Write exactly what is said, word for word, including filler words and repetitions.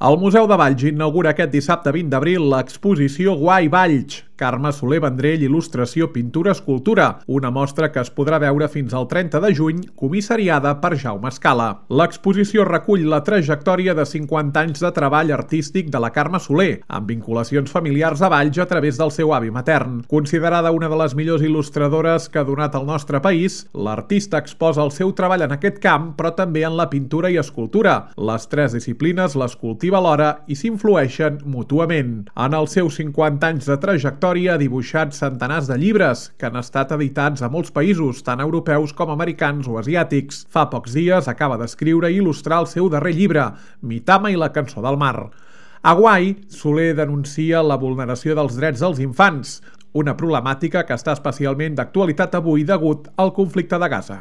El Museu de Valls inaugura aquest dissabte vint d'abril l'exposició Guai Valls, Carme Soler Vendrell, il·lustració, pintura, escultura, una mostra que es podrà veure fins al trenta de juny, comissariada per Jaume Escala. L'exposició recull la trajectòria de cinquanta anys de treball artístic de la Carme Soler, amb vinculacions familiars a Valls a través del seu avi matern. Considerada una de les millors il·lustradores que ha donat el nostre país, l'artista exposa el seu treball en aquest camp, però també en la pintura i escultura. Les tres disciplines les cultiva alhora i s'influeixen mútuament. En els seus cinquanta anys de trajectòria ha dibuixat centenars de llibres que han estat editats a molts països, tant europeus com americans o asiàtics. Fa pocs dies acaba d'escriure i il·lustrar el seu darrer llibre, Mitama i la cançó del mar. A Guai, Soler denuncia la vulneració dels drets dels infants, una problemàtica que està especialment d'actualitat avui degut al conflicte de Gaza.